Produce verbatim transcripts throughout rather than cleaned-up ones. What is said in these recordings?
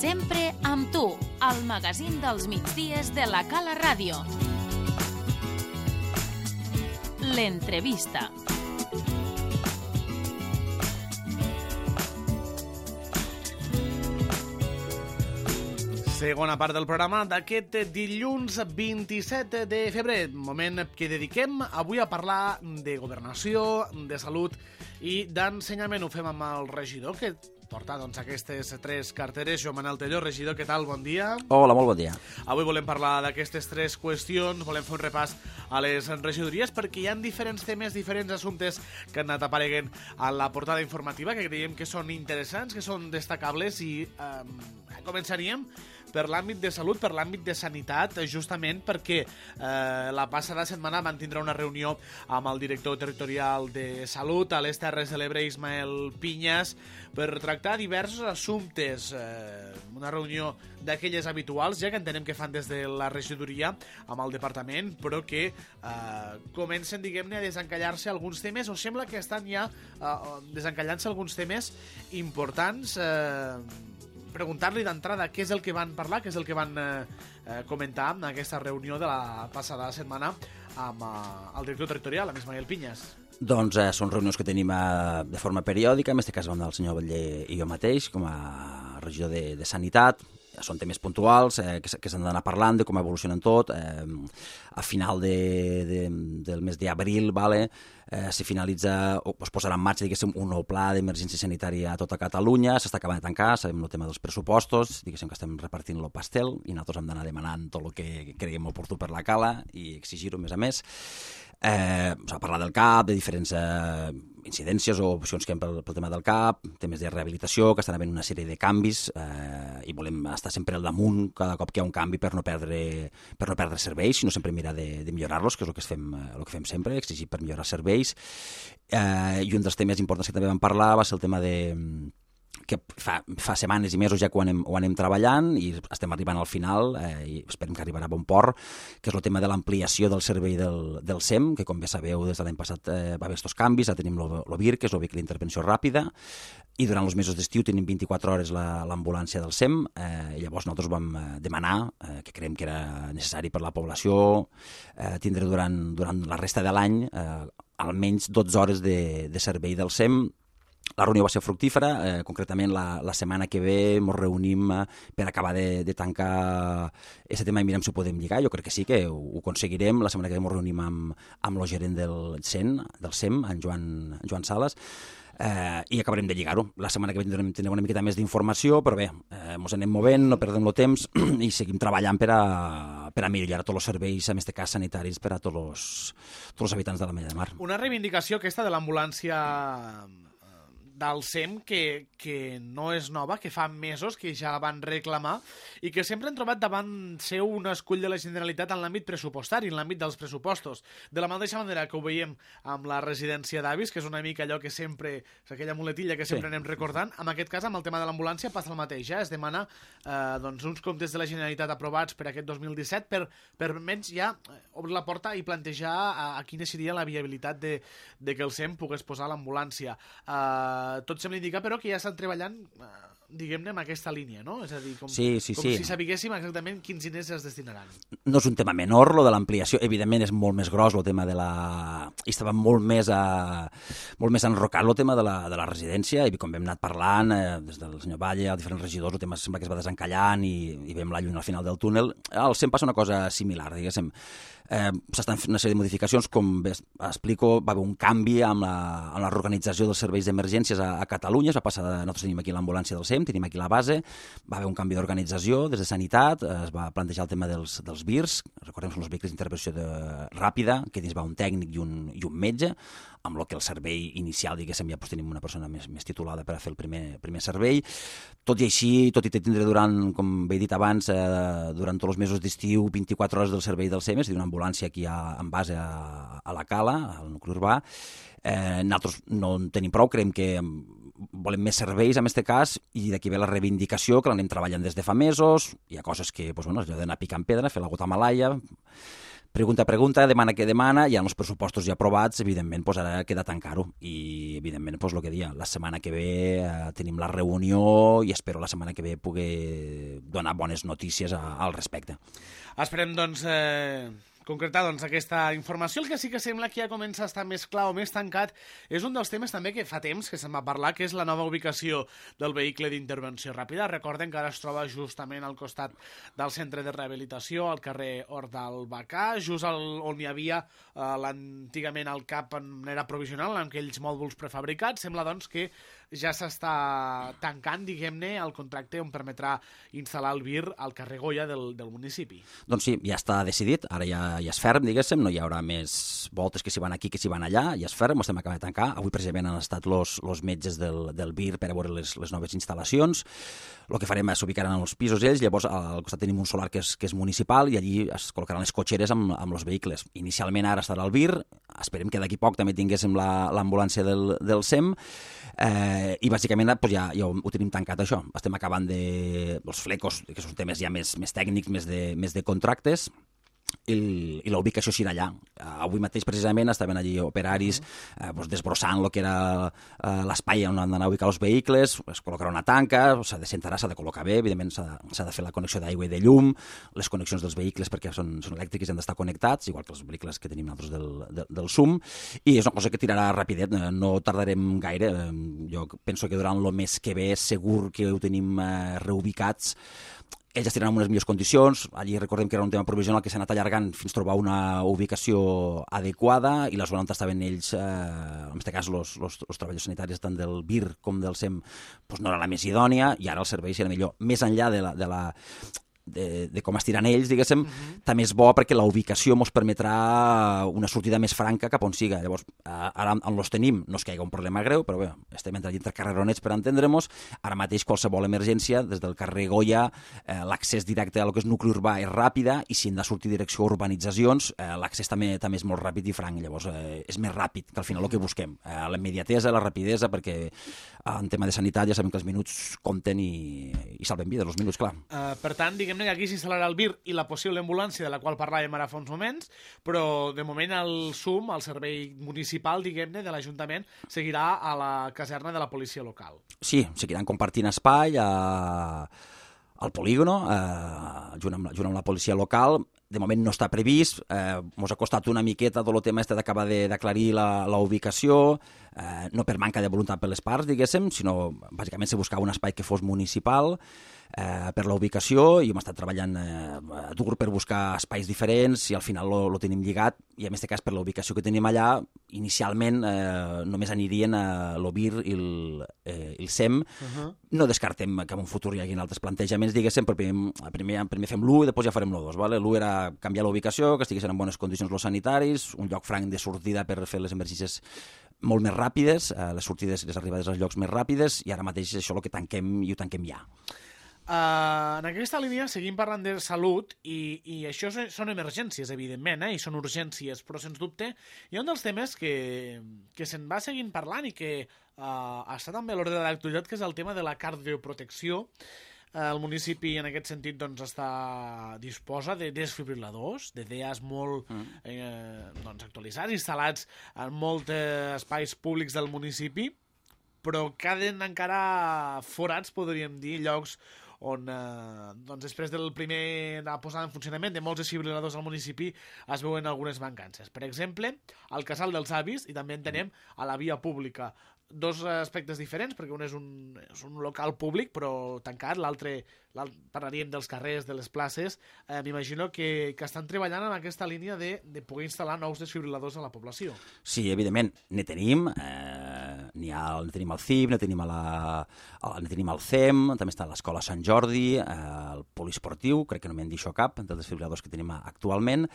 Sempre amb tu, al magazín dels migdies de la Cala Ràdio. L'entrevista. Segona part del programa d'aquest dilluns vint-i-set de febrer, moment que dediquem avui a parlar de governació, de salut i d'ensenyament. Ho fem amb el regidor que porta doncs, aquestes tres carteres. Joan Manel Telló, regidor, què tal? Bon dia. Hola, molt bon dia. Avui volem parlar d'aquestes tres qüestions, volem fer un repàs a les regidories perquè hi ha diferents temes, diferents assumptes que han anat apareguent a la portada informativa que creiem que són interessants, que són destacables i eh, començaríem per l'àmbit de salut, per l'àmbit de sanitat, justament perquè eh, la passada setmana van tindre una reunió amb el director territorial de Salut a les Terres de l'Ebre, Ismael Piñas, per tractar diversos assumptes. Eh, una reunió d'aquelles habituals, ja que entenem que fan des de la regidoria amb el departament, però que eh, comencen, diguem-ne, a desencallar-se alguns temes, o sembla que estan ja eh, desencallant-se alguns temes importants. Eh, preguntar-li d'entrada què és el que van parlar, què és el que van eh, comentar en aquesta reunió de la passada setmana amb eh, el director territorial, amb Ismael Piñas. Doncs eh, són reunions que tenim eh, de forma periòdica, en aquest cas amb el senyor Batller i jo mateix, com a regidor de, de Sanitat. Són temes puntuals eh, que, que s'han d'anar parlant de com evolucionen tot. Eh, a final de, de, del mes d'abril, vale, eh, se finalitza, o es posarà en marxa, diguéssim, un nou pla d'emergència sanitària a tota Catalunya. S'està acabant de tancar, sabem el tema dels pressupostos, diguéssim que estem repartint el pastel i nosaltres hem d'anar demanant tot el que creguem oportú per la cala i exigir-ho més a més. Eh, s'ha parlat del C A P, de diferents eh, incidències o opcions que hi ha pel, pel tema del C A P, temes de rehabilitació, que estan havent una sèrie de canvis eh, i volem estar sempre al damunt cada cop que hi ha un canvi per no perdre, per no perdre serveis, sinó sempre mirar de, de millorar-los, que és el que, fem, el que fem sempre, exigir per millorar serveis. Eh, I un dels temes importants que també vam parlar va ser el tema de que fa, fa setmanes i mesos ja que ho anem, ho anem treballant i estem arribant al final eh, i esperem que arribarà a bon port, que és el tema de l'ampliació del servei del, del S E M, que com bé sabeu des de l'any passat eh, va haver aquests canvis. Ja tenim el V I R, que és el vehicle d'intervenció ràpida, i durant els mesos d'estiu tenim vint-i-quatre hores l'ambulància del S E M. Eh, llavors nosaltres vam demanar, eh, que creiem que era necessari per la població, eh, tindre durant, durant la resta de l'any eh, almenys dotze hores de, de servei del S E M. La reunió va ser fructífera, eh, concretament la, la setmana que ve ens reunim eh, per acabar de, de tancar aquest tema i mirem si ho podem lligar. Jo crec que sí, que ho, ho aconseguirem. La setmana que ve ens reunim amb, amb el gerent del C E N, del S E M, en Joan, en Joan Sales, eh, i acabarem de lligar-ho. La setmana que ve tindrem, tindrem una miqueta més d'informació, però bé, eh, ens anem movent, no perdem el temps i seguim treballant per a, per a millorar tots els serveis, en aquest cas sanitaris, per a tots els, tots els habitants de la Mella de Mar. Una reivindicació aquesta de l'ambulància del S E M que, que no és nova, que fa mesos que ja la van reclamar i que sempre han trobat davant seu un escull de la Generalitat en l'àmbit pressupostari, en l'àmbit dels pressupostos. De la mateixa manera que ho veiem amb la residència d'avis, que és una mica allò que sempre, és aquella muletilla que sempre sí. anem recordant, en aquest cas amb el tema de l'ambulància passa el mateix, ja es demana eh, doncs, uns comptes de la Generalitat aprovats per aquest dos mil disset per, per menys ja obrir la porta i plantejar a, a quina seria la viabilitat de, de que el S E M pogués posar l'ambulància. Eh, tot sembla indicar, però, que ja estan treballant, diguem-ne, en aquesta línia, no? És a dir, com, sí, sí, com sí. si sabiguéssim exactament quins diners es destinaran. No és un tema menor, lo de l'ampliació, evidentment és molt més gros, el tema de la... I estava molt més, a... molt més enrocat, el tema de la, de la residència, i com hem anat parlant, eh, des del senyor Valle, a diferents regidors, el tema sembla que es va desencallant i, i veiem la llum al final del túnel. Al S E M passa una cosa similar, diguéssim. Eh, s'estan fent una sèrie de modificacions, com bé explico, va haver un canvi amb la, amb la reorganització dels serveis d'emergències a, a Catalunya. Es va passar, de, nosaltres tenim aquí l'ambulància del S E M, tenim aquí la base, va haver un canvi d'organització des de Sanitat, es va plantejar el tema dels, dels V I Rs, recordem, són els vehicles d'intervenció de, ràpida, que dins va un tècnic i un, i un metge, amb el que el servei inicial, diguéssim, ja doncs, tenim una persona més, més titulada per a fer el primer, primer servei. Tot i així, tot i tindre durant, com he dit abans, eh, durant tots els mesos d'estiu, vint-i-quatre hores del servei del S E M, és a dir, una ambulància aquí a, en base a, a la Cala, al nucli urbà. Eh, nosaltres no en tenim prou, creiem que volem més serveis en aquest cas, i d'aquí ve la reivindicació, que l'anem treballant des de fa mesos. Hi ha coses que, doncs, bueno, allò d'anar picant pedra, fer la gota malaia, pregunta a pregunta, demana que demana, hi ha els pressupostos ja aprovats, evidentment, pues, ara queda tancar-ho. I, evidentment, pues, el que dia, la setmana que ve eh, tenim la reunió i espero la setmana que ve poder donar bones notícies a, al respecte. Esperem, doncs, eh, concretar doncs, aquesta informació. El que sí que sembla que ja comença a estar més clar o més tancat és un dels temes també que fa temps que se'n va parlar, que és la nova ubicació del vehicle d'intervenció ràpida. Recorden que ara es troba justament al costat del centre de rehabilitació, al carrer Hort del Bacà, just al, on hi havia eh, l'antigament el C A P en manera provisional, amb aquells mòduls prefabricats. Sembla, doncs, que ja s'està tancant, diguem-ne, el contracte on permetrà instal·lar el V I R al carrer Goya del, del municipi. Doncs sí, ja està decidit, ara ja, ja és ferm, diguéssim, no hi haurà més voltes que s'hi van aquí, que s'hi van allà, ja és ferm, ho estem acabant de tancar. Avui precisament han estat els metges del, del V I R per a veure les, les noves instal·lacions. El que farem és s'ubicaran els pisos ells, llavors al costat tenim un solar que és, que és municipal i allí es col·locaran les cotxeres amb, amb els vehicles. Inicialment ara estarà el V I R, esperem que d'aquí poc també tinguéssim l'ambulància la, del, del S E M, eh, i bàsicament pues, ja, ja ho, ho tenim tancat això. Estem acabant de... els flecos, que són temes ja més, més tècnics, més de, més de contractes, i, i la ubicació serà allà. Avui mateix precisament estaven allí operaris eh, pues, desbrossant el que era eh, l'espai on han d'anar a ubicar els vehicles, es col·locarà una tanca, s'ha de centrar, s'ha de col·locar bé, evidentment s'ha de, de fer la connexió d'aigua i de llum, les connexions dels vehicles perquè són, són elèctrics i han d'estar connectats, igual que els vehicles que tenim nosaltres del, del, del S U M, i és una cosa que tirarà rapidet, no tardarem gaire. Jo penso que durant el mes que ve segur que ho tenim eh, reubicats. Ells estiran en unes millors condicions, allí recordem que era un tema provisional que s'ha anat allargant fins a trobar una ubicació adequada i la zona on estaven ells, eh, en aquest cas els treballadors sanitaris tant del V I R com del S E M, doncs no era la més idònia i ara el servei serà millor. Més enllà de la... De la De, de com estiran ells, diguéssim, uh-huh. també és bo perquè la ubicació ens permetrà una sortida més franca cap on siga. Llavors, ara on los tenim no és que hi hagi un problema greu, però bé, estem entre, entre carreronets per entendre-nos. Ara mateix qualsevol emergència, des del carrer Goya, eh, l'accés directe a lo que és nucli urbà és ràpida i si hem de sortir direcció a urbanitzacions, eh, l'accés també també és molt ràpid i franc. Llavors, eh, és més ràpid, que al final el que busquem. Eh, la immediatesa, la rapidesa, perquè en tema de sanitat ja sabem que els minuts compten i, i salven vides, els minuts, clar. Uh, per tant, diguem que aquí s'instal·larà el V I R i la possible ambulància de la qual parlàvem ara fa uns moments, però de moment el S U M, el servei municipal, diguem-ne, de l'Ajuntament, seguirà a la caserna de la policia local. Sí, seguiran compartint espai a... al polígono, eh, junt, amb la, junt amb la policia local. De moment no està previst, eh, mos ha costat una miqueta tot el tema este d'acabar d'aclarir la, la ubicació, eh, no per manca de voluntat per les parts, diguéssim, sinó bàsicament se buscava un espai que fos municipal eh, per la ubicació i hem estat treballant eh, dur per buscar espais diferents i al final lo, lo tenim lligat i en aquest cas per la ubicació que tenim allà, inicialment eh, només anirien a l'O B I R i el, eh, el S E M. Uh-huh. No descartem que en un futur hi hagi altres plantejaments, diguéssim, però primer, primer, primer fem l'u i després ja farem l'u dos. Vale? L'u era canviar la ubicació, que estiguessin en bones condicions els sanitaris, un lloc franc de sortida per fer les emergències molt més ràpides, eh, les sortides i les arribades als llocs més ràpides, i ara mateix això és el que tanquem i ho tanquem ja. Uh, en aquesta línia seguim parlant de salut i, i això són emergències, evidentment, eh? I són urgències, però sens dubte hi ha un dels temes que, que se'n va seguint parlant i que uh, està també a l'ordre de l'actualitat, que és el tema de la cardioprotecció. El municipi, en aquest sentit, doncs, està disposa de desfibriladors, de D E As molt eh, doncs, actualitzats, instal·lats en molts eh, espais públics del municipi, però queden encara forats, podríem dir, llocs on, eh, doncs, després del primer de posada en funcionament de molts desfibriladors al municipi es veuen algunes mancances. Per exemple, al Casal dels Avis, i també en tenem a la via pública. Dos aspectes diferents, perquè un és un, és un local públic, però tancat, l'altre parlaríem dels carrers, de les places. Eh, M'imagino que, que estan treballant en aquesta línia de, de poder instal·lar nous desfibriladors a la població. Sí, evidentment, ne tenim, eh, n'hi ha, ne tenim al C I B, ne tenim, a la, ne tenim al C E M, també està a l'Escola Sant Jordi, eh, el poliesportiu, crec que no m'han dit això cap, dels desfibriladors que tenim actualment,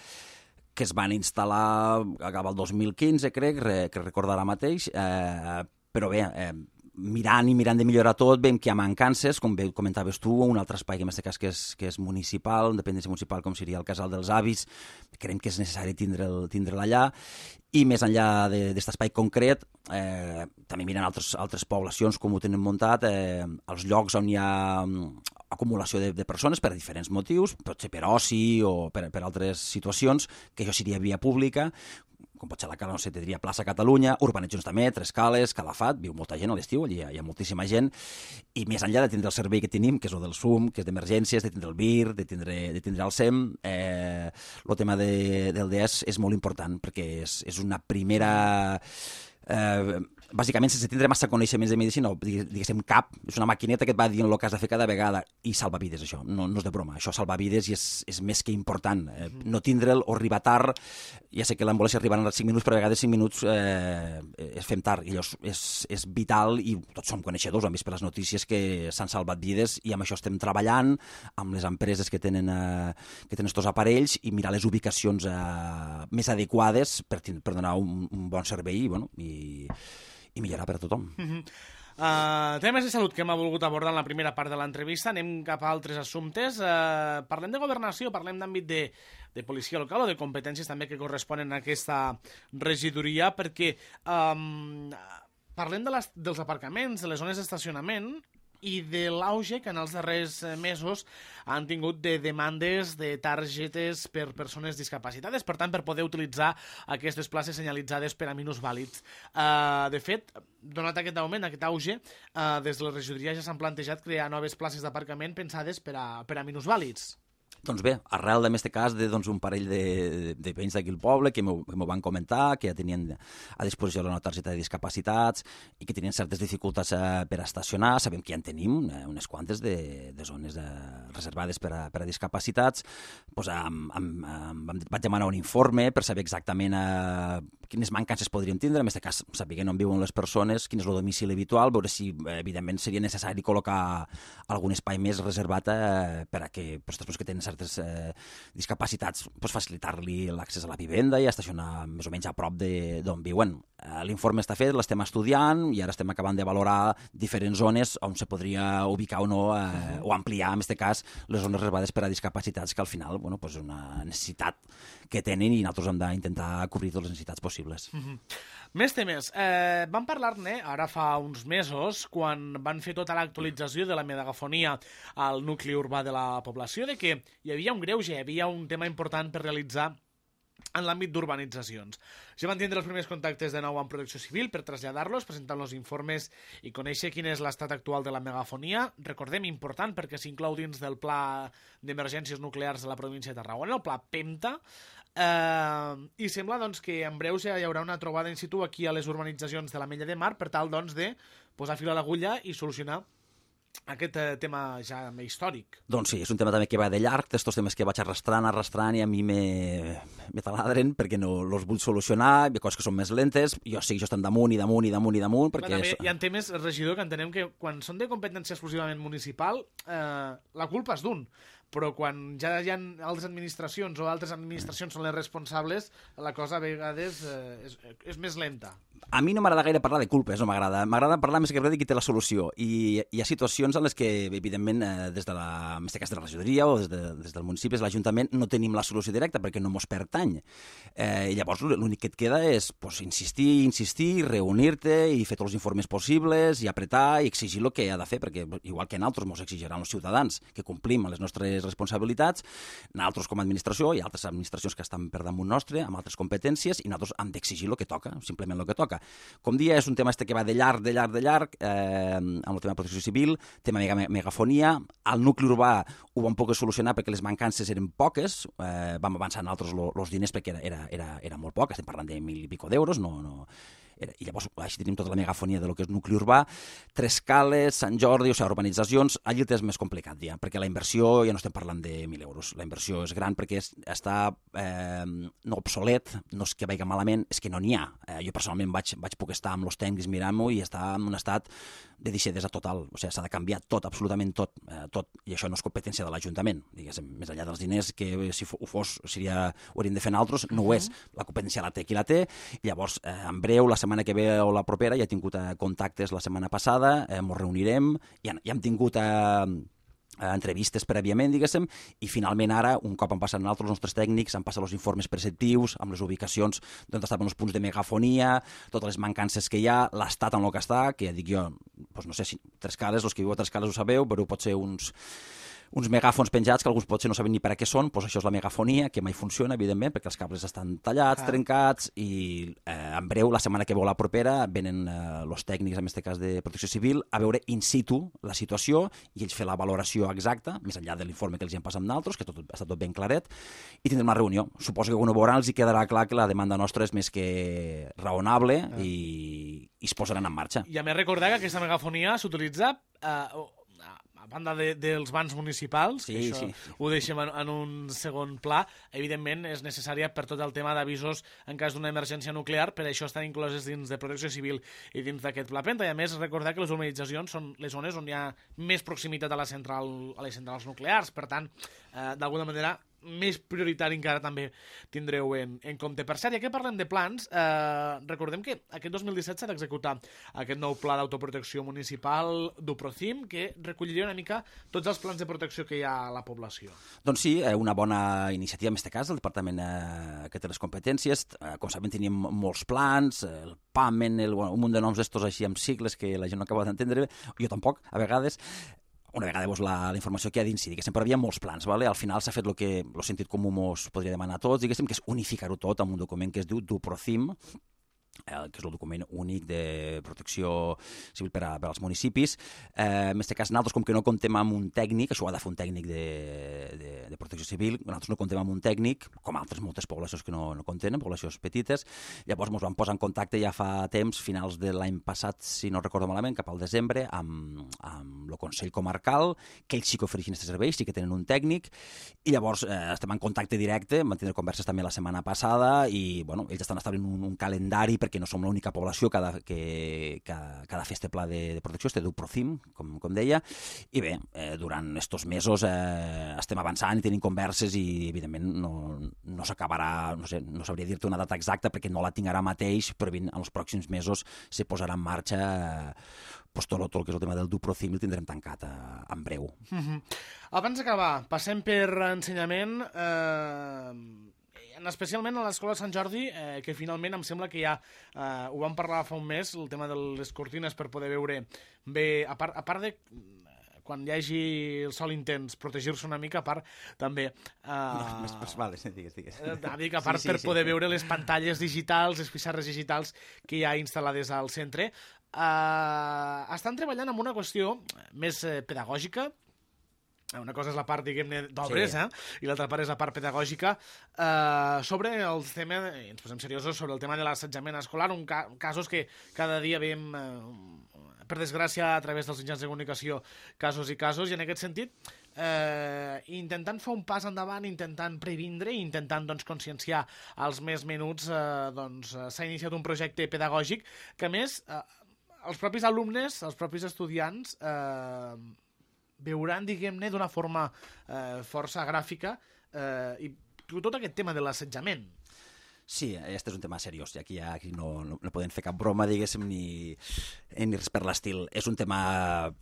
que es van instal·lar cap al dos mil quinze, crec, que recordarà mateix, eh, però bé, eh, mirant i mirant de millorar tot, veiem que hi ha mancances, com bé comentaves tu, un altre espai que en aquest cas que és, que és municipal, dependència municipal, com seria el Casal dels Avis, creiem que és necessari tindre'l tindre allà, i més enllà d'aquest espai concret, eh, també mirant altres, altres poblacions com ho tenen muntat, eh, els llocs on hi ha acumulació de, de persones per a diferents motius, potser per oci o per, per altres situacions, que això seria via pública, com pot ser la Cala, no sé, te diria Plaça Catalunya, urbanitzacions també, Tres Cales, Calafat, viu molta gent a l'estiu, allà hi ha, hi ha moltíssima gent, i més enllà de tindre el servei que tenim, que és el del S U M, que és d'emergències, de tindre el V I R, de tindre, de tindre el S E M, eh, el tema de, del D E S és molt important, perquè és, és una primera... Eh, bàsicament, sense tindre massa coneixements de medicina, o diguéssim cap, és una maquineta que et va dient el que has de fer cada vegada, i salva vides, això, no, no és de broma, això salva vides i és, és més que important. Eh, no tindre'l o arribar tard, ja sé que l'ambulància arriba en cinc minuts, però a vegades cinc minuts eh, es fem tard, i allò és, és vital, i tots som coneixedors, hem vist per les notícies que s'han salvat vides, i amb això estem treballant, amb les empreses que tenen, eh, que tenen estos aparells, i mirar les ubicacions eh, més adequades per, per donar un, un bon servei, i, bueno, i i millorar per a tothom. Uh-huh. uh, temes de salut que hem volgut abordar en la primera part de l'entrevista. Anem cap a altres assumptes. Uh, parlem de governació, parlem d'àmbit de, de policia local o de competències també que corresponen a aquesta regidoria, perquè um, parlem de les, dels aparcaments, de les zones d'estacionament, i de l'auge que en els darrers mesos han tingut de demandes de targetes per persones discapacitades, per tant, per poder utilitzar aquestes places senyalitzades per a minusvàlids. Uh, de fet, donat aquest augment, aquest auge, uh, des de la regidoria ja s'han plantejat crear noves places d'aparcament pensades per a, per a minusvàlids. Doncs bé, arrel de este cas de doncs, un parell de, de, de veïns d'aquí al poble que m'ho van comentar, que ja tenien a disposició la targeta de discapacitats i que tenien certes dificultats eh, per a estacionar. Sabem que ja en tenim eh, unes quantes de, de zones eh, reservades per a, per a discapacitats. Pues, am, am, am, vaig demanar un informe per saber exactament eh, quines mancances podríem tindre, en aquest cas saber on viuen les persones, quin és el domicili habitual, veure si eh, evidentment seria necessari col·locar algun espai més reservat eh, per a que per persones que tenen certes eh, discapacitats, pues, facilitar-li l'accés a la vivenda i a estacionar més o menys a prop d'on viuen. Eh, L'informe està fet, l'estem estudiant i ara estem acabant de valorar diferents zones on se podria ubicar o no, eh, uh-huh. o ampliar, en aquest cas, les zones reservades per a discapacitats, que al final, bueno, pues, és una necessitat que tenen i nosaltres hem d'intentar cobrir totes les necessitats possibles. Uh-huh. Més temes. Eh, vam parlar-ne ara fa uns mesos, quan van fer tota l'actualització de la megafonia al nucli urbà de la població, de que hi havia un greuge, hi havia un tema important per realitzar en l'àmbit d'urbanitzacions. Ja van tindre els primers contactes de nou amb Protecció Civil per traslladar-los, presentar-los informes i conèixer quin és l'estat actual de la megafonia. Recordem, important, perquè s'inclou dins del Pla d'Emergències Nuclears de la província de Tarragona, el Pla PEMTA, eh, i sembla doncs, que en breu ja hi haurà una trobada in situ aquí a les urbanitzacions de l'Ametlla de Mar per tal doncs, de posar fil a l'agulla i solucionar aquest eh, tema ja més històric. Doncs sí, és un tema també que va de llarg, d'estos temes que vaig arrastrant, arrastrant i a mi me, me taladren perquè no els vull solucionar, hi ha coses que són més lentes, jo sí, jo estan damunt i damunt i damunt i damunt, perquè... També hi ha temes, regidor, que entenem que quan són de competència exclusivament municipal, eh, la culpa és d'un, però quan ja hi ha altres administracions o altres administracions són les responsables, la cosa a vegades eh, és, és més lenta. A mi no m'agrada gaire parlar de culpes, no m'agrada. M'agrada parlar més que res de qui té la solució. I hi ha situacions en les que, evidentment, eh, des de la, en aquest cas de la regidoria o des, de, des del municipi, des de l'Ajuntament, no tenim la solució directa perquè no mos pertany. Eh, llavors, l'únic que et queda és pues, insistir, insistir, reunir-te i fer tots els informes possibles i apretar i exigir el que ha de fer, perquè igual que nosaltres mos exigiran els ciutadans que complim les nostres responsabilitats, nosaltres com a administració hi ha altres administracions que estan per damunt nostre, amb altres competències, i nosaltres hem d'exigir el que toca, simplement el que toca. Com dia, és un tema este que va de llarg, de llarg, de llarg, eh, amb el tema de protecció civil, tema mega, megafonia. Al nucli urbà ho vam poder solucionar perquè les mancances eren poques, eh, vam avançar nosaltres els diners perquè era, era, era, era molt poc, estem parlant de mil i pico d'euros, no... no Era, i llavors així tenim tota la megafonia de lo que és nucli urbà, Tres Cales, Sant Jordi, o sigui, urbanitzacions, allí és més complicat ja, perquè la inversió ja no estem parlant de mil euros, la inversió és gran perquè és, està eh, no obsolet, no és que vagi malament, és que no n'hi ha. Eh, jo personalment vaig, vaig poder estar amb els tècnics mirant-ho i està en un estat de deixadesa total, o sigui, s'ha de canviar tot, absolutament tot, eh, tot, i això no és competència de l'Ajuntament, diguéssim, més enllà dels diners, que si ho fos, seria, ho hauríem de fer nosaltres, no ho és, la competència la té qui la té, i llavors, eh, en breu, la setmana que ve o la propera, ja he tingut eh, contactes la setmana passada, eh, ens reunirem, ja, ja hem tingut... Eh, entrevistes prèviament, diguéssim, i finalment ara, un cop han passat nosaltres, els nostres tècnics, han passat els informes preceptius amb les ubicacions d'on estaven els punts de megafonia, totes les mancances que hi ha, l'estat en el que està, que ja dic jo, doncs no sé si Trescales, els que viu a Trescales ho sabeu, però pot ser uns... uns megàfons penjats que alguns potser no saben ni per a què són, doncs això és la megafonia, que mai funciona, evidentment, perquè els cables estan tallats, ah. trencats, i eh, en breu, la setmana que ve la propera, venen els eh, tècnics, en aquest cas de Protecció Civil, a veure in situ la situació i ells fer la valoració exacta, més enllà de l'informe que els hi han passat amb nosaltres, que tot, està tot ben claret, i tindrem una reunió. Suposo que quan ho veuran els hi quedarà clar que la demanda nostra és més que raonable ah. i, i es posaran en marxa. I a més recordar que aquesta megafonia s'utilitza... Eh, a banda de, dels bans municipals, sí, que això sí. ho deixem en, en un segon pla, evidentment és necessària per tot el tema d'avisos en cas d'una emergència nuclear, per això estan incloses dins de Protecció Civil i dins d'aquest pla Penta, i a més recordar que les urbanitzacions són les zones on hi ha més proximitat a, la central, a les centrals nuclears, per tant, eh, d'alguna manera, més prioritari encara també tindreu en, en compte. Per cert, ja que parlem de plans, eh, recordem que aquest dos mil disset s'ha d'executar aquest nou pla d'autoprotecció municipal d'UPROCIM, que recolliria una mica tots els plans de protecció que hi ha a la població. Doncs sí, una bona iniciativa en aquest cas, el departament eh, que té les competències. Eh, com saben, teníem molts plans, el PAMEN, el, bueno, un munt de noms d'estos així amb sigles que la gent no acaba d'entendre, jo tampoc, a vegades. Una vegada veus la, la informació que hi ha dins, diguéssim, però hi havia molts plans, vale? Al final s'ha fet el que el sentit comú mos podria demanar a tots, diguéssim, que és unificar-ho tot en un document que es diu DUPROCIM, eh, que és el document únic de protecció civil per, a, per als municipis. Eh, en aquest cas, nosaltres, com que no comptem amb un tècnic, això ho ha de fer un tècnic de, de, de protecció civil, nosaltres no comptem amb un tècnic, com altres moltes poblacions que no, no contenen, poblacions petites. Llavors ens vam posar en contacte ja fa temps, finals de l'any passat, si no recordo malament, cap al desembre, amb, amb el Consell Comarcal, que ells sí que ofereixen aquests serveis, sí que tenen un tècnic, i llavors eh, estem en contacte directe, vam tenir converses també la setmana passada, i bueno, ells estan establint un, un calendari perquè no som l'única població que ha de, que, que, que ha de fer este pla de, de protecció, este DUPROCIM, com, com deia, i bé, eh, durant estos mesos eh, estem avançant i tenim converses i, evidentment, no, no s'acabarà, no sé, no sabria dir-te una data exacta perquè no la tinc ara mateix, però en els pròxims mesos se posarà en marxa eh, pues, tot, tot el que és el tema del DUPROCIM el tindrem tancat eh, en breu. Mm-hmm. Abans d'acabar, passem per ensenyament... Eh... especialment a l'Escola Sant Jordi, eh, que finalment em sembla que ja eh, ho vam parlar fa un mes, el tema de les cortines per poder veure bé, a part, a part de quan hi hagi el sol intens, protegir-se una mica, a part també... Eh, no, més, més vale, digues, digues. Eh, dic, a part sí, sí, per poder sí. veure les pantalles digitals, les pissarres digitals que hi ha instal·lades al centre, eh, estan treballant en una qüestió més eh, pedagògica. Una cosa és la part, diguem-ne, d'obres, sí. eh? I l'altra part és la part pedagògica, eh, sobre el tema, i ens posem seriosos, sobre el tema de l'assetjament escolar, un ca casos que cada dia veiem, eh, per desgràcia, a través dels mitjans de comunicació, casos i casos, i en aquest sentit, eh, intentant fer un pas endavant, intentant previndre i intentant doncs, conscienciar els més menuts, eh, doncs, s'ha iniciat un projecte pedagògic que, a més, eh, els propis alumnes, els propis estudiants, eh, veuran, diguem-ne, d'una forma eh, força gràfica eh, i tot aquest tema de l'assetjament. Sí, aquest és un tema seriós, i aquí, ja, aquí no, no, no podem fer cap broma, diguéssim, ni, ni res per l'estil. És un tema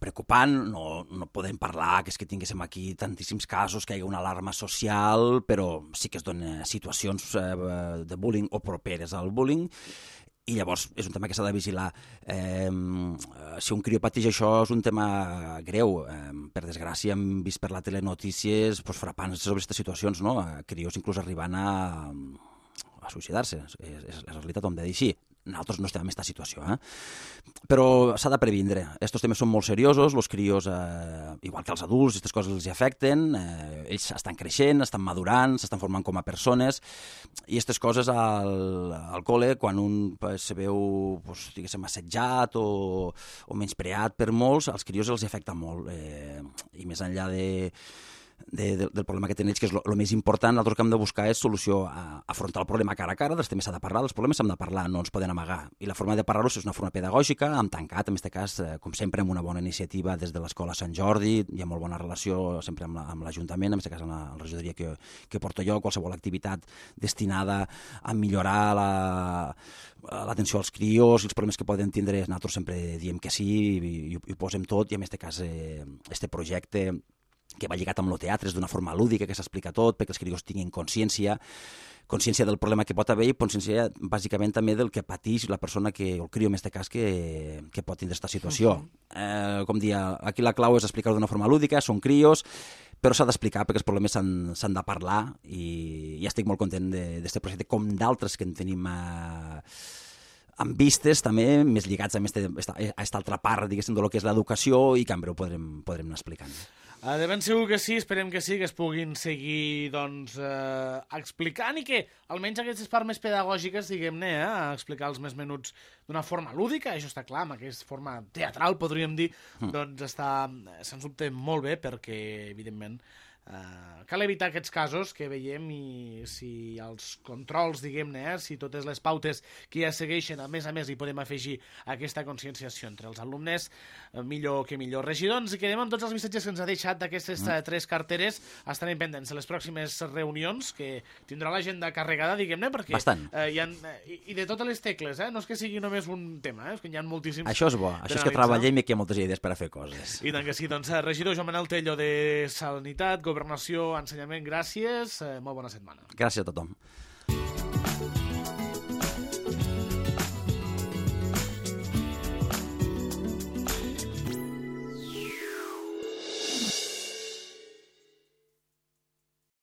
preocupant, no, no podem parlar que és que tinguéssim aquí tantíssims casos, que hi ha una alarma social, però sí que es donen situacions eh, de bullying o properes al bullying, i llavors és un tema que s'ha de vigilar. Eh, si un crió pateix això és un tema greu. Eh, per desgràcia hem vist per la tele notícies pues, frapants sobre aquestes situacions, no? Crios inclús arribant a, a suïcidar-se. És, és la realitat, ho hem de dir així. Nosaltres no estem en aquesta situació, eh? Però s'ha de previndre. Estos temes són molt seriosos, els crios, eh, igual que els adults, aquestes coses els afecten, eh, ells estan creixent, estan madurant, s'estan formant com a persones, i aquestes coses al, al col·le, quan un pues, se veu, pues, diguéssim, assetjat o, o menyspreat per molts, als crios els afecta molt. Eh, I més enllà de... De, de, del problema que tenen ells, que és el més important, l'altre que hem de buscar és solució a, a afrontar el problema cara a cara, dels temes s'ha de parlar, dels problemes s'han de parlar, no ens poden amagar. I la forma de parlar-los és una forma pedagògica, amb tancat, en aquest cas, eh, com sempre, amb una bona iniciativa des de l'Escola Sant Jordi, hi ha molt bona relació sempre amb l'Ajuntament, la, en aquest cas amb la, la regidoria que, que porto jo, qualsevol activitat destinada a millorar la, l'atenció als crios i els problemes que poden tindre, nosaltres sempre diem que sí i, i, i ho posem tot, i en aquest cas, eh, este projecte que va lligat amb el teatre, és d'una forma lúdica, que s'explica tot, perquè els críos tinguin consciència, consciència del problema que pot haver i consciència, bàsicament, també del que pateix la persona, que, o el crio, en aquest cas, que, que pot tindre aquesta situació. Uh-huh. eh, com dia, aquí la clau és explicar-ho d'una forma lúdica, són crios, però s'ha d'explicar perquè els problemes s'han de parlar i, i estic molt content d'aquest projecte, com d'altres que en tenim a... amb vistes també més lligats a aquesta altra part, diguéssim, del que és l'educació i que en breu podrem, podrem anar explicant. Uh, de ben segur que sí, esperem que sí, que es puguin seguir doncs, eh, explicant i que almenys aquestes parts més pedagògiques, diguem-ne, eh, explicar els més menuts d'una forma lúdica, això està clar, amb aquesta forma teatral, podríem dir, mm. doncs està, sens dubte, molt bé, perquè, evidentment, Uh, cal evitar aquests casos que veiem i si els controls, diguem-ne, eh, si totes les pautes que ja segueixen, a més a més hi podem afegir aquesta conscienciació entre els alumnes, uh, millor que millor. Regidor, ens quedem amb tots els missatges que ens ha deixat d'aquestes mm. uh, tres carteres. Estarem pendents de les pròximes reunions, que tindrà l'agenda carregada, diguem-ne, perquè Bastant. Uh, hi ha, uh, i, i de totes les tecles, eh? No és que sigui només un tema, eh? És que hi ha moltíssims. Això és bo, això és que treballem i que hi ha moltes idees per a fer coses. I tant que sí, doncs, regidor Joan Manel Tello de Sanitat, Governació, Ensenyament, gràcies. Eh, molt bona setmana. Gràcies a tothom.